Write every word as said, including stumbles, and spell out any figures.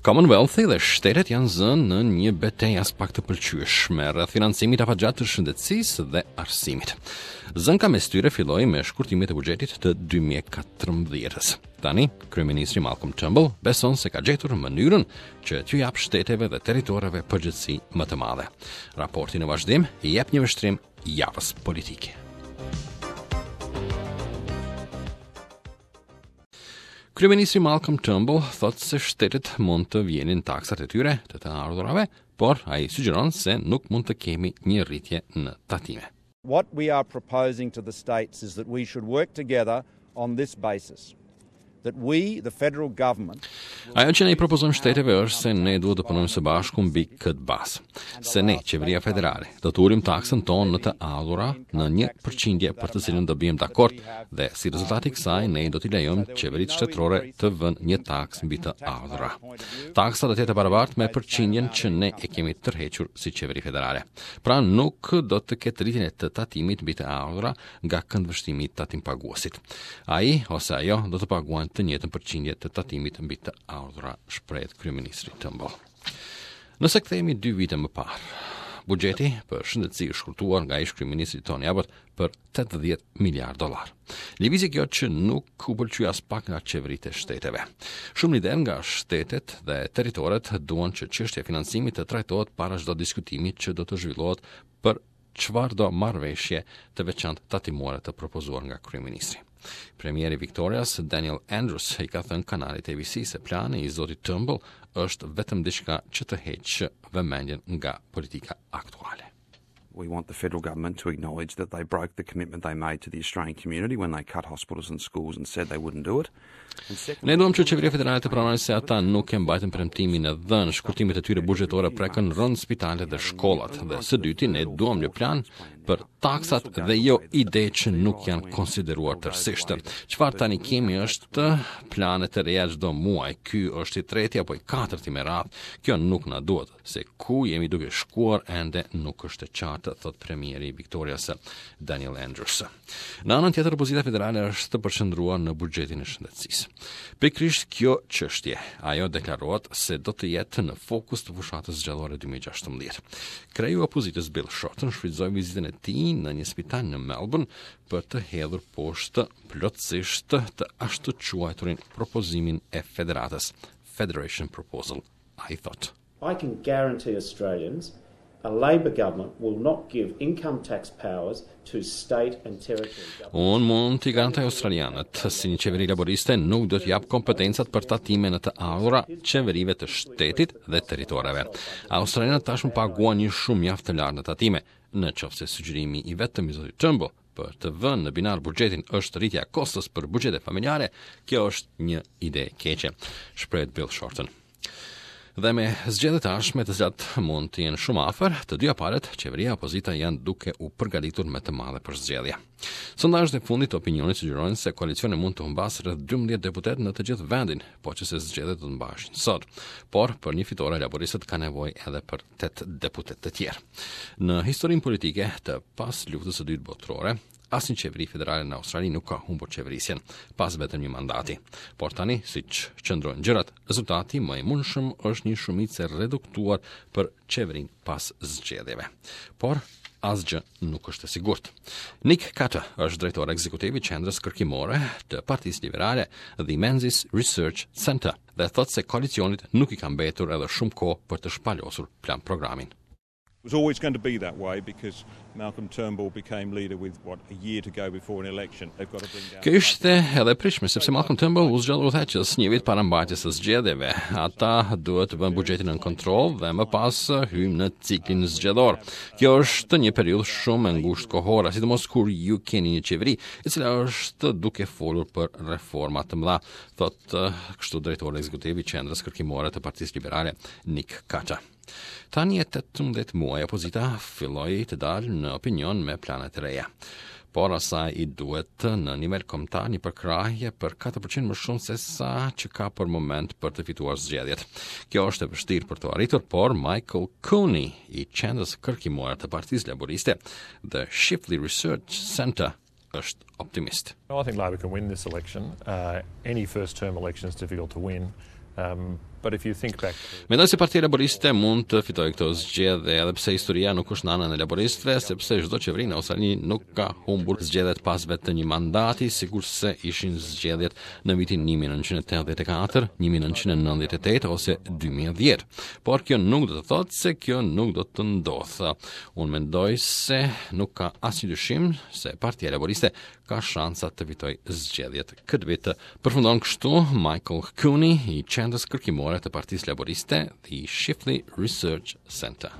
Commonwealth dhe shtetet janë zënë në një betejë aspak të pëlqyeshme rreth financimit afatgjatë të shëndetësisë dhe arsimit. Zënka mes tyre filloi me shkurtimet e buxhetit të dy mijë e katërmbëdhjetës. Tani, kryeministri Malcolm Turnbull beson se ka gjetur mënyrën që t'ju jap shteteve dhe territoreve përgjegjësi më të madhe. Raporti në vazhdim i jep një vështrim javës politike. Kryeministri Malcolm Turnbull thotë se shtetet mund të vjenin taksat e tyre të të ardhurave, por ai sugjeron se nuk mund të kemi një rritje në tatime. What we are proposing to the states is that we should work together on this basis: That we, the federal government, Ajo që ne i propozojmë shteteve është se ne duhet të punojmë së bashku mbi këtë bazë. Se ne, qeveria federale, do të ulim taksën tonë në të ardhura në një përqindje për të cilën do bijem dakord dhe si rezultat i kësaj ne do t'i lejojmë qeveritë shtetërore të vënë një taksë mbi të ardhura. Taksa do të jetë e barabartë me përqindjen që ne e kemi tërhequr si qeveri federale. Pra, nuk do të ketë rritjen e të tatimit mbi të ardhura nga këndvështrimi i tatimpaguesit. Ai ose ajo do të paguajnë të njëjtën përqindje të tatimit mbi të ardhura, shprehet kryeministri Turnbull. Nëse kthehemi dy vite më parë, buxheti për shëndetësi është shkurtuar nga ish kryeministri Tony Abbott për tetëdhjetë miliard dollar. Lëvizje kjo që nuk u pëlqy as pak nga qeveritë e shteteve. Shumë liderë nga shtetet dhe territoret duan që çështja e financimit të trajtohet para çdo diskutimi që do të zhvillohet për çfarëdo marrëveshje të veçantë tatimore të propozuar nga kryeministri. Premieri Victorias Daniel Andrews i ka thënë kanalit A B C se plani i zotit Turnbull është vetëm diçka që të heq vëmendjen nga politika aktuale. We want the federal government to acknowledge that they broke the commitment they made to the Australian community when they cut hospitals and schools and said they wouldn't do it. Ne duam që qeveria federale të pranojë se ata nuk e mbajtën premtimin e dhënë, shkurtimet e tyre buxhetore prekën rënd spitalet dhe shkollat. Dhe së dyti, ne duam një plan për taksat dhe jo ide që nuk janë konsideruar tërësisht. Çfarë tani kemi është plane të reja çdo muaj. Ky është i treti apo i katërti me radhë. Kjo nuk na duhet, se ku jemi duke shkuar ende nuk është e qartë, thot premieri i Victorias Daniel Andrews. Në anën tjetër, opozita federale është përqendruar në buxhetin e shëndetësisë. Pikërisht kjo çështje, ajo deklarohet se do të jetë në fokus të fushatës zgjedhore dy mijë e gjashtëmbëdhjetë. Kreu i opozitës Bill Shorten shfrytëzoi vizitën e tij në një spital në Melbourne për të hedhur poshtë plotësisht të ashtu quajturin propozimin e federatës, Federation Proposal. Ai thotë: I can guarantee Australians a Labor government will not give income tax powers to state and territory governments. Unë mund t'i garantoj australianët se një qeveri laboriste nuk do t'jap kompetencat për tatime në të ardhura qeverive të shtetit dhe territoreve. Australianët tashmë paguan një shumë mjaft të lartë në tatime. Në qoftë se sugjerimi i vetëm i zotit Turnbull për të vënë në binar buxhetin është rritja e kostos për buxhete familjare, kjo është një ide e keqe, shprehet Bill Shorten. Dhe me zgjedhjet e ardhshme, të cilat mund të jenë shumë afër, të dyja palët, qeveria e opozita, janë duke u përgatitur me të madhe për zgjedhje. Sondazhet e fundit të opinionit sugjerojnë se koalicioni mund të humbasë rreth dymbëdhjetë deputetë në të gjithë vendin, po që se zgjedhjet do të mbaheshin sot. Por për një fitore laboristët kanë nevojë edhe për tetë deputetë të tjerë. Në historinë politike të pas luftës së dytë botërore, asnjë qeveri federale në Australi nuk ka humbur qeverisjen pas vetëm një mandati. Por tani, siç qëndrojnë gjërat, rezultati më i mundshëm është një shumicë e reduktuar për qeverinë pas zgjedhjeve. Por asgjë nuk është e sigurt. Nick Cutter është drejtor ekzekutiv i qendrës kërkimore të Partisë Liberale, The Menzies Research Center, dhe thotë se koalicionit nuk i ka mbetur edhe shumë kohë për të shpalosur plan programin. It was always going to be that way because Malcolm Turnbull became leader with, what, a year to go before an election. They've got to bring down Kjo ishte edhe pritshme, sepse Malcolm Turnbull u zgjodh udhëheqës një vit para mbajtjes së zgjedhjeve. Ata duhet të vënë buxhetin në kontroll dhe më pas hyjmë në ciklin zgjedhor. Kjo është një periudhë shumë e ngushtë kohore, sidomos kur ju keni një qeveri e cila është duke folur për reforma të mëdha, thotë kështu drejtori ekzekutiv i qendrës kërkimore të Partisë Liberale, Nick Cutter. Tani e tetëmbëdhjetë muaj opozita filloi të dalë në opinion me plane të reja. Por asaj i duhet në nivel kombëtar një përkrahje për katër përqind më shumë se sa që ka për moment për të fituar zgjedhjet. Kjo është e vështirë për të arritur, por Michael Cooney i qendrës kërkimore të Partisë Laboriste, The Chifley Research Center, është optimist. I think Labor can win this election. Uh, any first term election is difficult to win. Um, but But if you think back to Mendoj se Partia Laboriste mund të fitojë këto zgjedhje, edhe pse historia nuk është në anën e laboristëve, sepse çdo qeveri në Australi nuk ka humbur zgjedhjet pas vetëm një mandati, sikurse ishin zgjedhjet në vitin një mijë e nëntëqind e tetëdhjetë e katër, një mijë e nëntëqind e nëntëdhjetë e tetë ose dy mijë e dhjetë. Por kjo nuk do të thotë se kjo nuk do të ndodhë. Unë mendoj se nuk ka asnjë dyshim se Partia Laboriste ka shansa të fitojë zgjedhjet këtë vit. Përfundon kështu Michael Cooney i qendrës kërkimore të Partisë Laboriste, The Chifley Research Center.